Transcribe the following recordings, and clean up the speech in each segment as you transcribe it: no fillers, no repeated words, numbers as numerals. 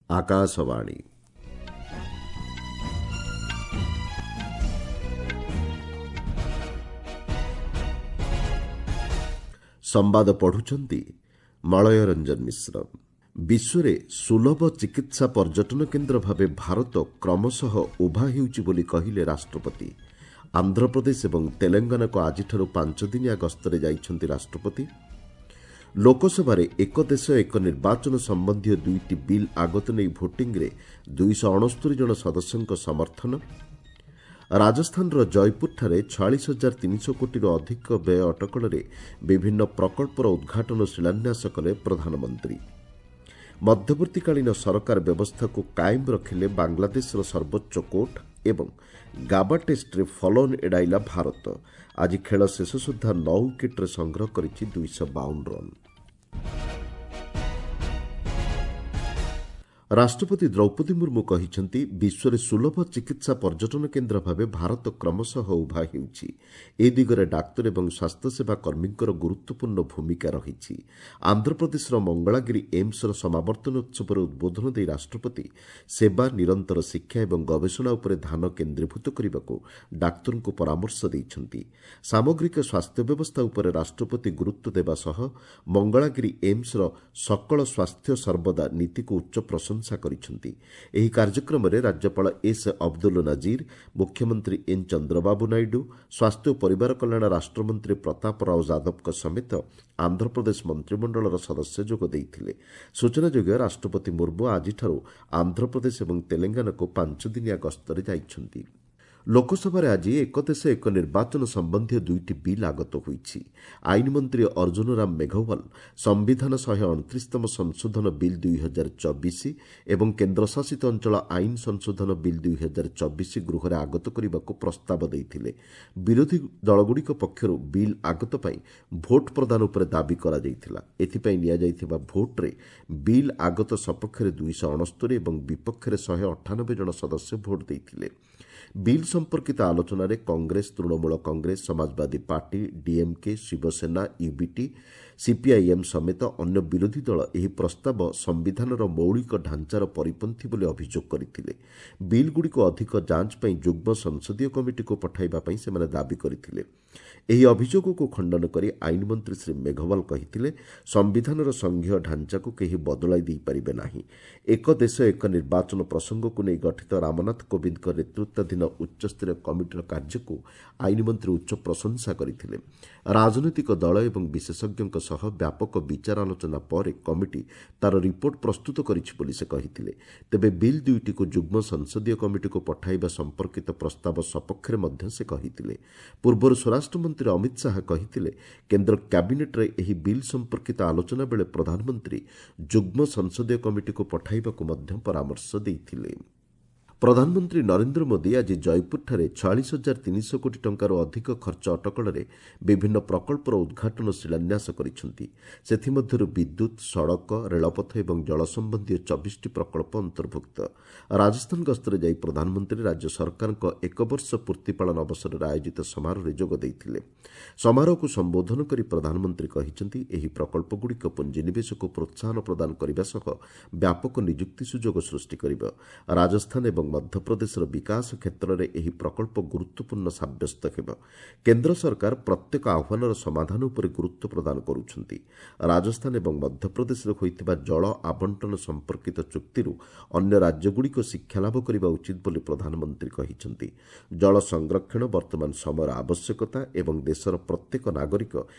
ଆକାଶବାଣୀ। ସମ୍ବାଦ ପଢୁଛନ୍ତି ମଳୟ ରଞ୍ଜନ ମିଶ୍ର। ବିଶ୍ୱରେ ସୁଲଭ ଚିକିତ୍ସା ପର୍ଯ୍ୟଟନ କେନ୍ଦ୍ର ଭାବେ ଭାରତ କ୍ରମଶଃ ଉଭା ହେଉଛି ବୋଲି କହିଲେ ରାଷ୍ଟ୍ରପତି। ଆନ୍ଧ୍ରପ୍ରଦେଶ ଏବଂ ତେଲେଙ୍ଗାନାକୁ ଆଜିଠାରୁ 5 ଦିନିଆ ଗସ୍ତରେ ଯାଇଛନ୍ତି ରାଷ୍ଟ୍ରପତି। ଲୋକସଭାରେ ଏକ ଦେଶ ଏକ ନିର୍ବାଚନ ସମ୍ବନ୍ଧୀୟ 2ଟି ବିଲ୍ ଆଗତ ନେଇ ଭୋଟିଂରେ 269 ଜଣ ସଦସ୍ୟଙ୍କ ସମର୍ଥନ। ରାଜସ୍ଥାନର ଜୟପୁରଠାରେ 46,300 କୋଟିରୁ ଅଧିକ ବ୍ୟୟ ଅଟକଳରେ ବିଭିନ୍ନ ପ୍ରକଳ୍ପର ଉଦ୍ଘାଟନ ଶିଳାନ୍ୟାସ କଲେ ପ୍ରଧାନମନ୍ତ୍ରୀ। ମଧ୍ୟବର୍ତ୍ତୀକାଳୀନ ସରକାର ବ୍ୟବସ୍ଥାକୁ କାଏମ ରଖିଲେ ବାଂଲାଦେଶର ସର୍ବୋଚ୍ଚ କୋର୍ଟ ଏବଂ ଗାବା ଟେଷ୍ଟରେ ଫଲୋଅନ୍ ଏଡ଼ାଇଲା ଭାରତ। ଆଜି ଖେଳ ଶେଷ ସୁଦ୍ଧା 9 ୱିକେଟ୍ରେ ସଂଗ୍ରହ କରିଛି 252 ରନ୍। ରାଷ୍ଟ୍ରପତି ଦ୍ରୌପଦୀ ମୁର୍ମୁ କହିଛନ୍ତି, ବିଶ୍ୱରେ ସୁଲଭ ଚିକିତ୍ସା ପର୍ଯ୍ୟଟନ କେନ୍ଦ୍ର ଭାବେ ଭାରତ କ୍ରମଶଃ ଉଭା ହେଉଛି। ଏ ଦିଗରେ ଡାକ୍ତର ଏବଂ ସ୍ୱାସ୍ଥ୍ୟସେବା କର୍ମୀଙ୍କର ଗୁରୁତ୍ୱପୂର୍ଣ୍ଣ ଭୂମିକା ରହିଛି। ଆନ୍ଧ୍ରପ୍ରଦେଶର ମଙ୍ଗଳାଗିରି ଏମ୍ସର ସମାବର୍ତ୍ତନ ଉତ୍ସବରେ ଉଦ୍ବୋଧନ ଦେଇ ରାଷ୍ଟ୍ରପତି ସେବା, ନିରନ୍ତର ଶିକ୍ଷା ଏବଂ ଗବେଷଣା ଉପରେ ଧ୍ୟାନ କେନ୍ଦ୍ରୀଭୂତ କରିବାକୁ ଡାକ୍ତରଙ୍କୁ ପରାମର୍ଶ ଦେଇଛନ୍ତି। ସାମଗ୍ରିକ ସ୍ୱାସ୍ଥ୍ୟ ବ୍ୟବସ୍ଥା ଉପରେ ରାଷ୍ଟ୍ରପତି ଗୁରୁତ୍ୱ ଦେବା ସହ ମଙ୍ଗଳାଗିରି ଏମ୍ସର ସକଳ ସ୍ୱାସ୍ଥ୍ୟ ସର୍ବଦା ନୀତିକୁ ଉଚ୍ଚ ପ୍ରଶଂସା କରିଛନ୍ତି। ଏହି କାର୍ଯ୍ୟକ୍ରମରେ ରାଜ୍ୟପାଳ ଏସ୍ ଅବଦୁଲ ନଜିର, ମୁଖ୍ୟମନ୍ତ୍ରୀ ଏନ୍ ଚନ୍ଦ୍ରବାବୁ ନାଇଡୁ, ସ୍ୱାସ୍ଥ୍ୟ ଓ ପରିବାର କଲ୍ୟାଣ ରାଷ୍ଟ୍ରମନ୍ତ୍ରୀ ପ୍ରତାପ ରାଓ ଯାଦବଙ୍କ ସମେତ ଆନ୍ଧ୍ରପ୍ରଦେଶ ମନ୍ତ୍ରିମଣ୍ଡଳର ସଦସ୍ୟ ଯୋଗ ଦେଇଥିଲେ। ସୂଚନାଯୋଗ୍ୟ, ରାଷ୍ଟ୍ରପତି ମୁର୍ମୁ ଆଜିଠାରୁ ଆନ୍ଧ୍ରପ୍ରଦେଶ ଏବଂ ତେଲେଙ୍ଗାନାକୁ 5 ଦିନିଆ ଗସ୍ତରେ ଯାଇଛନ୍ତି। ଲୋକସଭାରେ ଆଜି ଏକ ଦେଶ ଏକ ନିର୍ବାଚନ ସମ୍ବନ୍ଧୀୟ 2ଟି ବିଲ୍ ଆଗତ ହୋଇଛି। ଆଇନ ମନ୍ତ୍ରୀ ଅର୍ଜୁନ ରାମ ମେଘୱାଲ ସମ୍ବିଧାନ 129ତମ ସଂଶୋଧନ ବିଲ୍ 2024 ଏବଂ କେନ୍ଦ୍ରଶାସିତ ଅଞ୍ଚଳ ଆଇନ ସଂଶୋଧନ ବିଲ୍ 2024 ଗୃହରେ ଆଗତ କରିବାକୁ ପ୍ରସ୍ତାବ ଦେଇଥିଲେ। ବିରୋଧୀ ଦଳଗୁଡ଼ିକ ପକ୍ଷରୁ ବିଲ୍ ଆଗତ ପାଇଁ ଭୋଟ୍ ପ୍ରଦାନ ଉପରେ ଦାବି କରାଯାଇଥିଲା। ଏଥିପାଇଁ ନିଆଯାଇଥିବା ଭୋଟ୍ରେ ବିଲ୍ ଆଗତ ସପକ୍ଷରେ 269 ଏବଂ ବିପକ୍ଷରେ 198 ଜଣ ସଦସ୍ୟ ଭୋଟ୍ ଦେଇଥିଲେ। ବିଲ୍ ସମ୍ପର୍କିତ ଆଲୋଚନାରେ Congress, Trinamool Congress, Samajwadi party, DMK, Shiv Sena, UBT, CPIM ସମେତ ଅନ୍ୟ ବିରୋଧୀ ଦଳ ଏହି ପ୍ରସ୍ତାବ ସମ୍ବିଧାନର ମୌଳିକ ଢାଞ୍ଚାର ପରିପନ୍ଥୀ ବୋଲି ଅଭିଯୋଗ କରିଥିଲେ। ବିଲ୍ଗୁଡ଼ିକୁ ଅଧିକ ଯାଞ୍ଚ ପାଇଁ ଯୁଗ୍ମ ସଂସଦୀୟ କମିଟିକୁ ପଠାଇବା ପାଇଁ ସେମାନେ ଦାବି କରିଥିଲେ। ଏହି ଅଭିଯୋଗକୁ ଖଣ୍ଡନ କରି ଆଇନ ମନ୍ତ୍ରୀ ଶ୍ରୀ ମେଘୱାଲ କହିଥିଲେ, ସମ୍ବିଧାନର ସଂଘୀୟ ଢାଞ୍ଚାକୁ କେହି ବଦଳାଇ ଦେଇପାରିବେ ନାହିଁ। ଏକ ଦେଶ ଏକ ନିର୍ବାଚନ ପ୍ରସଙ୍ଗକୁ ନେଇ ଗଠିତ ରାମନାଥ କୋବିନ୍ଦଙ୍କ ନେତୃତ୍ୱାଧୀନ ଉଚ୍ଚସ୍ତରୀୟ କମିଟିର କାର୍ଯ୍ୟକୁ ଆଇନ ମନ୍ତ୍ରୀ ଉଚ୍ଚ ପ୍ରଶଂସା କରିଥିଲେ। ରାଜନୈତିକ ଦଳ ଏବଂ ବିଶେଷଜ୍ଞଙ୍କ ସହ ବ୍ୟାପକ ବିଚାର ଆଲୋଚନା ପରେ କମିଟି ତା'ର ରିପୋର୍ଟ ପ୍ରସ୍ତୁତ କରିଛି ବୋଲି ସେ କହିଥିଲେ। ତେବେ ବିଲ୍ 2ଟିକୁ ଯୁଗ୍ମ ସଂସଦୀୟ କମିଟିକୁ ପଠାଇବା ସମ୍ପର୍କିତ ପ୍ରସ୍ତାବ ସପକ୍ଷରେ ମଧ୍ୟ ସେ କହିଥିଲେ। ପୂର୍ବରୁ ସ୍ୱରାଷ୍ଟ୍ରମନ୍ତ୍ରୀ ଅମିତ ଶାହା କହିଥିଲେ, କେନ୍ଦ୍ର କ୍ୟାବିନେଟ୍ରେ ଏହି ବିଲ୍ ସମ୍ପର୍କିତ ଆଲୋଚନା ବେଳେ ପ୍ରଧାନମନ୍ତ୍ରୀ ଯୁଗ୍ମ ସଂସଦୀୟ କମିଟିକୁ ପଠାଇବାକୁ ମଧ୍ୟ ପରାମର୍ଶ ଦେଇଥିଲେ। ପ୍ରଧାନମନ୍ତ୍ରୀ ନରେନ୍ଦ୍ର ମୋଦି ଆଜି ଜୟପୁରଠାରେ 46,300 କୋଟି ଟଙ୍କାରୁ ଅଧିକ ଖର୍ଚ୍ଚ ଅଟକଳରେ ବିଭିନ୍ନ ପ୍ରକଳ୍ପର ଉଦ୍ଘାଟନ ଶିଳାନ୍ୟାସ କରିଛନ୍ତି। ସେଥିମଧ୍ୟରୁ ବିଦ୍ୟୁତ୍, ସଡ଼କ, ରେଳପଥ ଏବଂ ଜଳ ସମ୍ବନ୍ଧୀୟ 24ଟି ପ୍ରକଳ୍ପ ଅନ୍ତର୍ଭୁକ୍ତ। ରାଜସ୍ଥାନ ଗସ୍ତରେ ଯାଇ ପ୍ରଧାନମନ୍ତ୍ରୀ ରାଜ୍ୟ ସରକାରଙ୍କ ଏକ ବର୍ଷ ପୂର୍ତ୍ତି ପାଳନ ଅବସରରେ ଆୟୋଜିତ ସମାରୋହରେ ଯୋଗ ଦେଇଥିଲେ। ସମାରୋହକୁ ସମ୍ବୋଧନ କରି ପ୍ରଧାନମନ୍ତ୍ରୀ କହିଛନ୍ତି, ଏହି ପ୍ରକଳ୍ପଗୁଡ଼ିକ ପୁଞ୍ଜିନିବେଶକୁ ପ୍ରୋତ୍ସାହନ ପ୍ରଦାନ କରିବା ସହ ବ୍ୟାପକ ନିଯୁକ୍ତି ସୁଯୋଗ ସୃଷ୍ଟି କରିବ। ରାଜସ୍ଥାନ ଏବଂ ମଧ୍ୟପ୍ରଦେଶର ବିକାଶ କ୍ଷେତ୍ରରେ ଏହି ପ୍ରକଳ୍ପ ଗୁରୁତ୍ୱପୂର୍ଣ୍ଣ ସାବ୍ୟସ୍ତ ହେବ। କେନ୍ଦ୍ର ସରକାର ପ୍ରତ୍ୟେକ ଆହ୍ୱାନର ସମାଧାନ ଉପରେ ଗୁରୁତ୍ୱ ପ୍ରଦାନ କରୁଛନ୍ତି। ରାଜସ୍ଥାନ ଏବଂ ମଧ୍ୟପ୍ରଦେଶରେ ହୋଇଥିବା ଜଳ ଆବଣ୍ଟନ ସମ୍ପର୍କିତ ଚୁକ୍ତିରୁ ଅନ୍ୟ ରାଜ୍ୟଗୁଡ଼ିକ ଶିକ୍ଷାଲାଭ କରିବା ଉଚିତ ବୋଲି ପ୍ରଧାନମନ୍ତ୍ରୀ କହିଛନ୍ତି। ଜଳ ସଂରକ୍ଷଣ ବର୍ତ୍ତମାନ ସମୟର ଆବଶ୍ୟକତା ଏବଂ ଦେଶର ପ୍ରତ୍ୟେକ ନାଗରିକ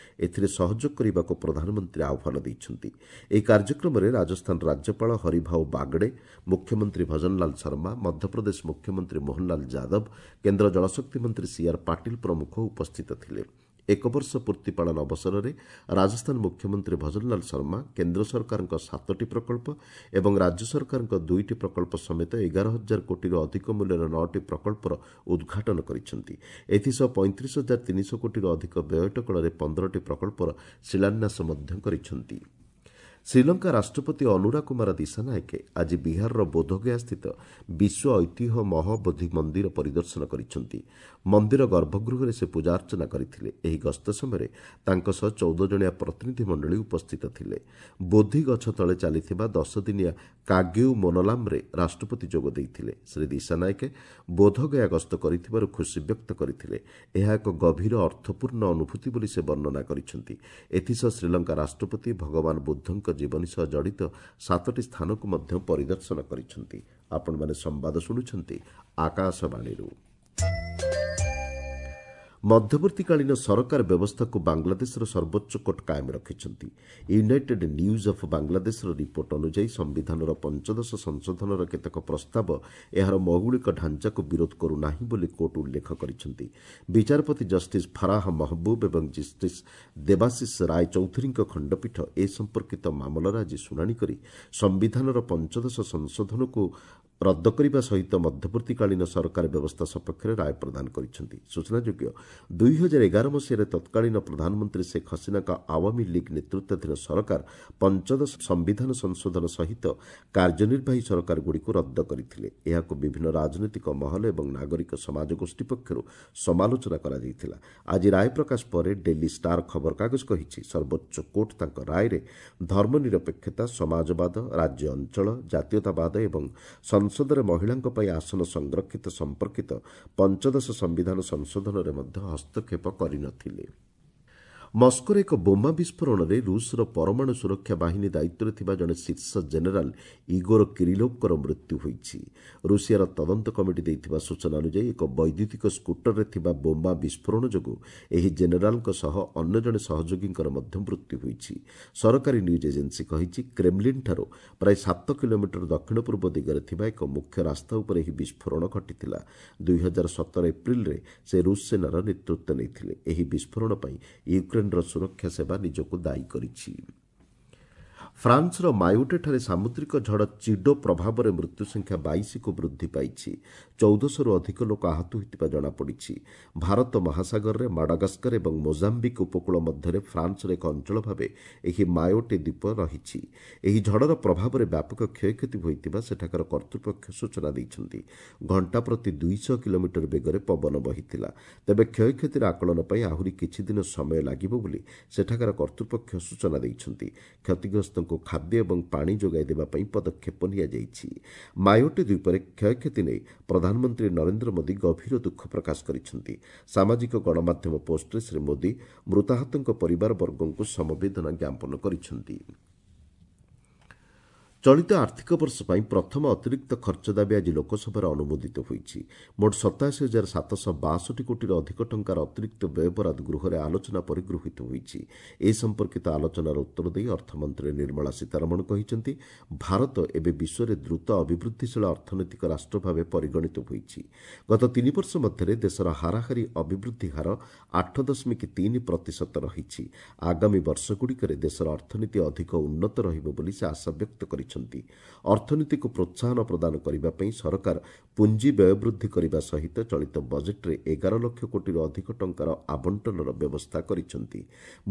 ଏଥିରେ ସହଯୋଗ କରିବାକୁ ପ୍ରଧାନମନ୍ତ୍ରୀ ଆହ୍ୱାନ ଦେଇଛନ୍ତି। ଏହି କାର୍ଯ୍ୟକ୍ରମରେ ରାଜସ୍ଥାନ ରାଜ୍ୟପାଳ ହରିଭାଉ ବାଗଡେ, ମୁଖ୍ୟମନ୍ତ୍ରୀ ଭଜନଲାଲ ଶର୍ମା, ମଧ୍ୟପ୍ରଦେଶ ମୁଖ୍ୟମନ୍ତ୍ରୀ ମୋହନଲାଲ ଯାଦବ, କେନ୍ଦ୍ର ଜଳଶକ୍ତି ମନ୍ତ୍ରୀ ସିଆର୍ ପାଟିଲ ପ୍ରମୁଖ ଉପସ୍ଥିତ ଥିଲେ। ଏକ ବର୍ଷ ପୂର୍ତ୍ତି ପାଳନ ଅବସରରେ ରାଜସ୍ଥାନ ମୁଖ୍ୟମନ୍ତ୍ରୀ ଭଜନଲାଲ ଶର୍ମା କେନ୍ଦ୍ର ସରକାରଙ୍କ 7ଟି ପ୍ରକଳ୍ପ ଏବଂ ରାଜ୍ୟ ସରକାରଙ୍କ 2ଟି ପ୍ରକଳ୍ପ ସମେତ 11,000 କୋଟିରୁ ଅଧିକ ମୂଲ୍ୟର 9ଟି ପ୍ରକଳ୍ପର ଉଦ୍ଘାଟନ କରିଛନ୍ତି। ଏଥିସହ 35,300 କୋଟିରୁ ଅଧିକ ବ୍ୟୟ ଅଟକଳରେ 15ଟି ପ୍ରକଳ୍ପର ଶିଳାନ୍ୟାସ ମଧ୍ୟ କରିଛନ୍ତି। ଶ୍ରୀଲଙ୍କା ରାଷ୍ଟ୍ରପତି ଅନୁରା କୁମାର ଦିଶାନାୟକେ ଆଜି ବିହାରର ବୋଧଗୟାସ୍ଥିତ ବିଶ୍ୱ ଐତିହ୍ୟ ମହବୋଧି ମନ୍ଦିର ପରିଦର୍ଶନ କରିଛନ୍ତି। ମନ୍ଦିର ଗର୍ଭଗୃହରେ ସେ ପୂଜାର୍ଚ୍ଚନା କରିଥିଲେ। ଏହି ଗସ୍ତ ସମୟରେ ତାଙ୍କ ସହ 14 ଜଣିଆ ପ୍ରତିନିଧି ମଣ୍ଡଳୀ ଉପସ୍ଥିତ ଥିଲେ। ବୋଧି ଗଛ ତଳେ ଚାଲିଥିବା 10 ଦିନିଆ କାଗେଉ ମୋନଲାମ୍ରେ ରାଷ୍ଟ୍ରପତି ଯୋଗ ଦେଇଥିଲେ। ଶ୍ରୀ ଦିଶାନାୟକେ ବୋଧଗୟା ଗସ୍ତ କରିଥିବାରୁ ଖୁସି ବ୍ୟକ୍ତ କରିଥିଲେ। ଏହା ଏକ ଗଭୀର ଅର୍ଥପୂର୍ଣ୍ଣ ଅନୁଭୂତି ବୋଲି ସେ ବର୍ଣ୍ଣନା କରିଛନ୍ତି। ଏଥିସହ ଶ୍ରୀଲଙ୍କା ରାଷ୍ଟ୍ରପତି ଭଗବାନ ବୁଦ୍ଧଙ୍କ ଜୀବନୀ ସହ ଜଡ଼ିତ 7ଟି ସ୍ଥାନକୁ ମଧ୍ୟ ପରିଦର୍ଶନ କରିଛନ୍ତି। ଆପଣମାନେ ସମ୍ବାଦ ଶୁଣୁଛନ୍ତି ଆକାଶବାଣୀରୁ। ମଧ୍ୟବର୍ତ୍ତୀକାଳୀନ ସରକାର ବ୍ୟବସ୍ଥାକୁ ବାଂଲାଦେଶର ସର୍ବୋଚ୍ଚ କୋର୍ଟ କାଏମ ରଖିଛନ୍ତି। ୟୁନାଇଟେଡ୍ ନ୍ୟୁଜ୍ ଅଫ୍ ବାଂଲାଦେଶର ରିପୋର୍ଟ ଅନୁଯାୟୀ, ସମ୍ବିଧାନର 15ଶ ସଂଶୋଧନର କେତେକ ପ୍ରସ୍ତାବ ଏହାର ମୌଳିକ ଢାଞ୍ଚାକୁ ବିରୋଧ କରୁନାହିଁ ବୋଲି କୋର୍ଟ ଉଲ୍ଲେଖ କରିଛନ୍ତି। ବିଚାରପତି ଜଷ୍ଟିସ୍ ଫରାହ ମହବୁବ ଏବଂ ଜଷ୍ଟିସ୍ ଦେବାଶିଷ ରାୟ ଚୌଧୁରୀଙ୍କ ଖଣ୍ଡପୀଠ ଏ ସମ୍ପର୍କିତ ମାମଲାର ଆଜି ଶୁଣାଣି କରି ସମ୍ବିଧାନର 15ଶ ସଂଶୋଧନକୁ ରଦ୍ଦ କରିବା ସହିତ ମଧ୍ୟବର୍ତ୍ତୀକାଳୀନ ସରକାର ବ୍ୟବସ୍ଥା ସପକ୍ଷରେ ରାୟ ପ୍ରଦାନ କରିଛନ୍ତି। ସୂଚନାଯୋଗ୍ୟ, 2011 ମସିହାରେ ତତ୍କାଳୀନ ପ୍ରଧାନମନ୍ତ୍ରୀ ଶେଖ୍ ହସିନାଙ୍କ ଆୱାମୀ ଲିଗ୍ ନେତୃତ୍ୱାଧୀନ ସରକାର 15ଶ ସମ୍ବିଧାନ ସଂଶୋଧନ ସହିତ କାର୍ଯ୍ୟନିର୍ବାହୀ ସରକାରଗୁଡ଼ିକୁ ରଦ୍ଦ କରିଥିଲେ। ଏହାକୁ ବିଭିନ୍ନ ରାଜନୈତିକ ମହଲ ଏବଂ ନାଗରିକ ସମାଜ ଗୋଷ୍ଠୀ ପକ୍ଷରୁ ସମାଲୋଚନା କରାଯାଇଥିଲା। ଆଜି ରାୟ ପ୍ରକାଶ ପରେ ଡେଲି ଷ୍ଟାର ଖବରକାଗଜ କହିଛି, ସର୍ବୋଚ୍ଚ କୋର୍ଟ ତାଙ୍କ ରାୟରେ ଧର୍ମନିରପେକ୍ଷତା, ସମାଜବାଦ, ରାଜ୍ୟ ଅଞ୍ଚଳ, ଜାତୀୟତାବାଦ ଏବଂ ସଂସଦରେ ମହିଳାଙ୍କ ପାଇଁ ଆସନ ସଂରକ୍ଷିତ ସମ୍ପର୍କିତ 15ଶ ସମ୍ବିଧାନ ସଂଶୋଧନରେ ମଧ୍ୟ ହସ୍ତକ୍ଷେପ କରିନଥିଲେ। ମସ୍କୋରେ ଏକ ବୋମା ବିସ୍ଫୋରଣରେ ରୁଷର ପରମାଣୁ ସୁରକ୍ଷା ବାହିନୀ ଦାୟିତ୍ୱରେ ଥିବା ଜଣେ ଶୀର୍ଷ ଜେନେରାଲ ଇଗୋର କିରିଲୋଭଙ୍କର ମୃତ୍ୟୁ ହୋଇଛି। ରୁଷିଆର ତଦନ୍ତ କମିଟି ଦେଇଥିବା ସୂଚନା ଅନୁଯାୟୀ, ଏକ ବୈଦ୍ୟୁତିକ ସ୍କୁଟରରେ ଥିବା ବୋମା ବିସ୍ଫୋରଣ ଯୋଗୁଁ ଏହି ଜେନେରାଲଙ୍କ ସହ ଅନ୍ୟ ଜଣେ ସହଯୋଗୀଙ୍କର ମଧ୍ୟ ମୃତ୍ୟୁ ହୋଇଛି। ସରକାରୀ ନ୍ୟୁଜ୍ ଏଜେନ୍ସି କହିଛି, କ୍ରେମଲିନ୍ଠାରୁ ପ୍ରାୟ 7 କିଲୋମିଟର ଦକ୍ଷିଣ ପୂର୍ବ ଦିଗରେ ଥିବା ଏକ ମୁଖ୍ୟ ରାସ୍ତା ଉପରେ ଏହି ବିସ୍ଫୋରଣ ଘଟିଥିଲା। 2017 ଏପ୍ରିଲରେ ସେ ରୁଷ ସେନାର ନେତୃତ୍ୱ ନେଇଥିଲେ। ଏହି ବିସ୍ଫୋରଣ ପାଇଁ ୟୁକ୍ରେନ୍ର ସୁରକ୍ଷା ସେବା ନିଜକୁ ଦାୟୀ କରିଛି। ଫ୍ରାନ୍ସର ମାୟୋଟେଠାରେ ସାମୁଦ୍ରିକ ଝଡ଼ ଚିଡୋ ପ୍ରଭାବରେ ମୃତ୍ୟୁ ସଂଖ୍ୟା 22କୁ ବୃଦ୍ଧି ପାଇଛି। 1400ରୁ ଅଧିକ ଲୋକ ଆହତ ହୋଇଥିବା ଜଣାପଡ଼ିଛି। ଭାରତ ମହାସାଗରରେ ମାଡାଗାସ୍କର ଏବଂ ମୋଜାମ୍ବିକ୍ ଉପକୂଳ ମଧ୍ୟରେ ଫ୍ରାନ୍ସର ଏକ ଅଞ୍ଚଳ ଭାବେ ଏହି ମାୟୋଟେ ଦ୍ୱୀପ ରହିଛି। ଏହି ଝଡ଼ର ପ୍ରଭାବରେ ବ୍ୟାପକ କ୍ଷୟକ୍ଷତି ହୋଇଥିବା ସେଠାକାର କର୍ତ୍ତୃପକ୍ଷ ସୂଚନା ଦେଇଛନ୍ତି। ଘଣ୍ଟା ପ୍ରତି 200 କିଲୋମିଟର ବେଗରେ ପବନ ବହିଥିଲା। ତେବେ କ୍ଷୟକ୍ଷତିର ଆକଳନ ପାଇଁ ଆହୁରି କିଛି ଦିନ ସମୟ ଲାଗିବ ବୋଲି ସେଠାକାର କର୍ତ୍ତୃପକ୍ଷ ସୂଚନା ଦେଇଛନ୍ତି। କ୍ଷତିଗ୍ରସ୍ତଙ୍କୁ ଖାଦ୍ୟ ଏବଂ ପାଣି ଯୋଗାଇ ଦେବା ପାଇଁ ପଦକ୍ଷେପ ନିଆଯାଇଛି। ମାୟୋଟେ ଦ୍ୱୀପରେ କ୍ଷୟକ୍ଷତି ନେଇ ପ୍ରଧାନମନ୍ତ୍ରୀ ନରେନ୍ଦ୍ର ମୋଦି ଗଭୀର ଦୁଃଖ ପ୍ରକାଶ କରିଛନ୍ତି। ସାମାଜିକ ଗଣମାଧ୍ୟମ ପୋଷ୍ଟରେ ଶ୍ରୀ ମୋଦି ମୃତାହତଙ୍କ ପରିବାରବର୍ଗଙ୍କୁ ସମବେଦନା ଜ୍ଞାପନ କରିଛନ୍ତି। ଚଳିତ ଆର୍ଥିକ ବର୍ଷ ପାଇଁ ପ୍ରଥମ ଅତିରିକ୍ତ ଖର୍ଚ୍ଚ ଦାବି ଆଜି ଲୋକସଭାରେ ଅନୁମୋଦିତ ହୋଇଛି। ମୋଟ 87,762 କୋଟିର ଅଧିକ ଟଙ୍କାର ଅତିରିକ୍ତ ବ୍ୟୟବରାଦ ଗୃହରେ ଆଲୋଚନା ପରେ ଗୃହୀତ ହୋଇଛି। ଏ ସମ୍ପର୍କିତ ଆଲୋଚନାର ଉତ୍ତର ଦେଇ ଅର୍ଥମନ୍ତ୍ରୀ ନିର୍ମଳା ସୀତାରମଣ କହିଛନ୍ତି, ଭାରତ ଏବେ ବିଶ୍ୱରେ ଦ୍ରୁତ ଅଭିବୃଦ୍ଧିଶୀଳ ଅର୍ଥନୈତିକ ରାଷ୍ଟ୍ର ଭାବେ ପରିଗଣିତ ହୋଇଛି। ଗତ 3 ବର୍ଷ ମଧ୍ୟରେ ଦେଶର ହାରାହାରି ଅଭିବୃଦ୍ଧି ହାର 8.3 ପ୍ରତିଶତ ରହିଛି। ଆଗାମୀ ବର୍ଷଗୁଡ଼ିକରେ ଦେଶର ଅର୍ଥନୀତି ଅଧିକ ଉନ୍ନତ ରହିବ ବୋଲି ସେ ଆଶା ବ୍ୟକ୍ତ କରିଛନ୍ତି। ଅର୍ଥନୀତିକୁ ପ୍ରୋତ୍ସାହନ ପ୍ରଦାନ କରିବା ପାଇଁ ସରକାର ପୁଞ୍ଜି ବ୍ୟୟ ବୃଦ୍ଧି କରିବା ସହିତ ଚଳିତ ବଜେଟ୍ରେ 11 ଲକ୍ଷ କୋଟିରୁ ଅଧିକ ଟଙ୍କାର ଆବଣ୍ଟନର ବ୍ୟବସ୍ଥା କରିଛନ୍ତି।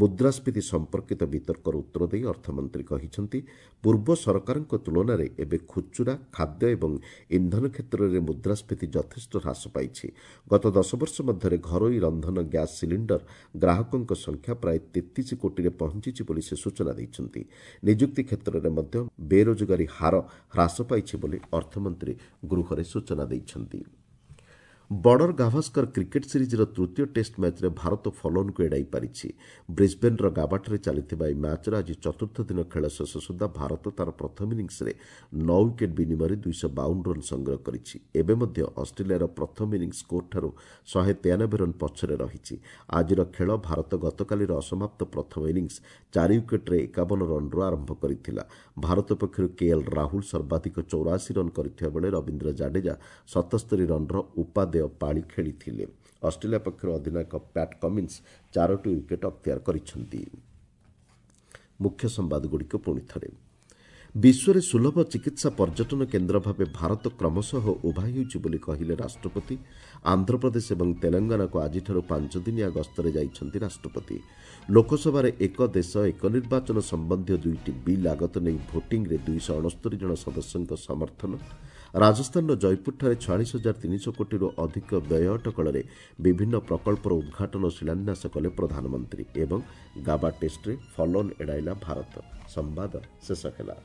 ମୁଦ୍ରାସ୍ଫୀତି ସମ୍ପର୍କିତ ବିତର୍କର ଉତ୍ତର ଦେଇ ଅର୍ଥମନ୍ତ୍ରୀ କହିଛନ୍ତି, ପୂର୍ବ ସରକାରଙ୍କ ତୁଳନାରେ ଏବେ ଖୁଚୁରା, ଖାଦ୍ୟ ଏବଂ ଇନ୍ଧନ କ୍ଷେତ୍ରରେ ମୁଦ୍ରାସ୍ଫୀତି ଯଥେଷ୍ଟ ହ୍ରାସ ପାଇଛି। ଗତ 10 ବର୍ଷ ମଧ୍ୟରେ ଘରୋଇ ରନ୍ଧନ ଗ୍ୟାସ୍ ସିଲିଣ୍ଡର ଗ୍ରାହକଙ୍କ ସଂଖ୍ୟା ପ୍ରାୟ 33 କୋଟିରେ ପହଞ୍ଚିଛି ବୋଲି ସେ ସୂଚନା ଦେଇଛନ୍ତି। ନିଯୁକ୍ତି କ୍ଷେତ୍ରରେ ମଧ୍ୟ ବେରୋଜଗାରୀ ହାର ହ୍ରାସ ପାଇଛି ବୋଲି ଅର୍ଥମନ୍ତ୍ରୀ ଗୃହରେ ସୂଚନା ଦେଇଛନ୍ତି। ବର୍ଡର ଗାଭାସ୍କର କ୍ରିକେଟ୍ ସିରିଜ୍ର ତୃତୀୟ ଟେଷ୍ଟ ମ୍ୟାଚ୍ରେ ଭାରତ ଫଲୋନ୍କୁ ଏଡ଼ାଇ ପାରିଛି। ବ୍ରିସ୍ବେନ୍ର ଗାବାଠାରେ ଚାଲିଥିବା ଏହି ମ୍ୟାଚ୍ର ଆଜି ଚତୁର୍ଥ ଦିନ ଖେଳ ଶେଷ ସୁଦ୍ଧା ଭାରତ ତା'ର ପ୍ରଥମ ଇନିଂସରେ 9 ୱିକେଟ୍ ବିନିମୟରେ 252 ରନ୍ ସଂଗ୍ରହ କରିଛି। ଏବେ ମଧ୍ୟ ଅଷ୍ଟ୍ରେଲିଆର ପ୍ରଥମ ଇନିଂସ ସ୍କୋରଠାରୁ 193 ରନ୍ ପଛରେ ରହିଛି। ଆଜିର ଖେଳ ଭାରତ ଗତକାଲିର ଅସମାପ୍ତ ପ୍ରଥମ ଇନିଂସ 4 ୱିକେଟ୍ରେ 51 ରନ୍ରୁ ଆରମ୍ଭ କରିଥିଲା। ଭାରତ ପକ୍ଷରୁ କେଏଲ୍ ରାହୁଲ ସର୍ବାଧିକ 84 ରନ୍ କରିଥିବା ବେଳେ ରବୀନ୍ଦ୍ର ଜାଡେଜା 77 ରନ୍ର ଉପାଦେୟ ପାଳି ଖେଳିଥିଲେ। ଅଷ୍ଟ୍ରେଲିଆ ପକ୍ଷରୁ ଅଧିନାୟକ ପ୍ୟାଟ୍ କମିନ୍ସ 4ଟି ୱିକେଟ୍ ଅକ୍ତିଆର କରିଛନ୍ତି। ମୁଖ୍ୟ ସମ୍ବାଦଗୁଡ଼ିକ ପୁଣି ଥରେ। ବିଶ୍ୱରେ ସୁଲଭ ଚିକିତ୍ସା ପର୍ଯ୍ୟଟନ କେନ୍ଦ୍ର ଭାବେ ଭାରତ କ୍ରମଶଃ ଉଭା ହେଉଛି ବୋଲି କହିଲେ ରାଷ୍ଟ୍ରପତି। ଆନ୍ଧ୍ରପ୍ରଦେଶ ଏବଂ ତେଲଙ୍ଗାନାକୁ ଆଜିଠାରୁ 5 ଦିନିଆ ଗସ୍ତରେ ଯାଇଛନ୍ତି ରାଷ୍ଟ୍ରପତି। ଲୋକସଭାରେ ଏକ ଦେଶ ଏକ ନିର୍ବାଚନ ସମ୍ବନ୍ଧୀୟ 2ଟି ବିଲ୍ ଆଗତ ନେଇ ଭୋଟିଂରେ 269 ଜଣ ସଦସ୍ୟଙ୍କ ସମର୍ଥନ। ରାଜସ୍ଥାନର ଜୟପୁରଠାରେ 46,300 କୋଟିରୁ ଅଧିକ ବ୍ୟୟ ଅଟକଳରେ ବିଭିନ୍ନ ପ୍ରକଳ୍ପର ଉଦ୍ଘାଟନ ଓ ଶିଳାନ୍ୟାସ କଲେ ପ୍ରଧାନମନ୍ତ୍ରୀ। ଏବଂ ଗାବା ଟେଷ୍ଟରେ ଫଲୋନ୍ ଏଡ଼ାଇଲା ଭାରତ। ସମ୍ବାଦ ଶେଷ ହେଲା।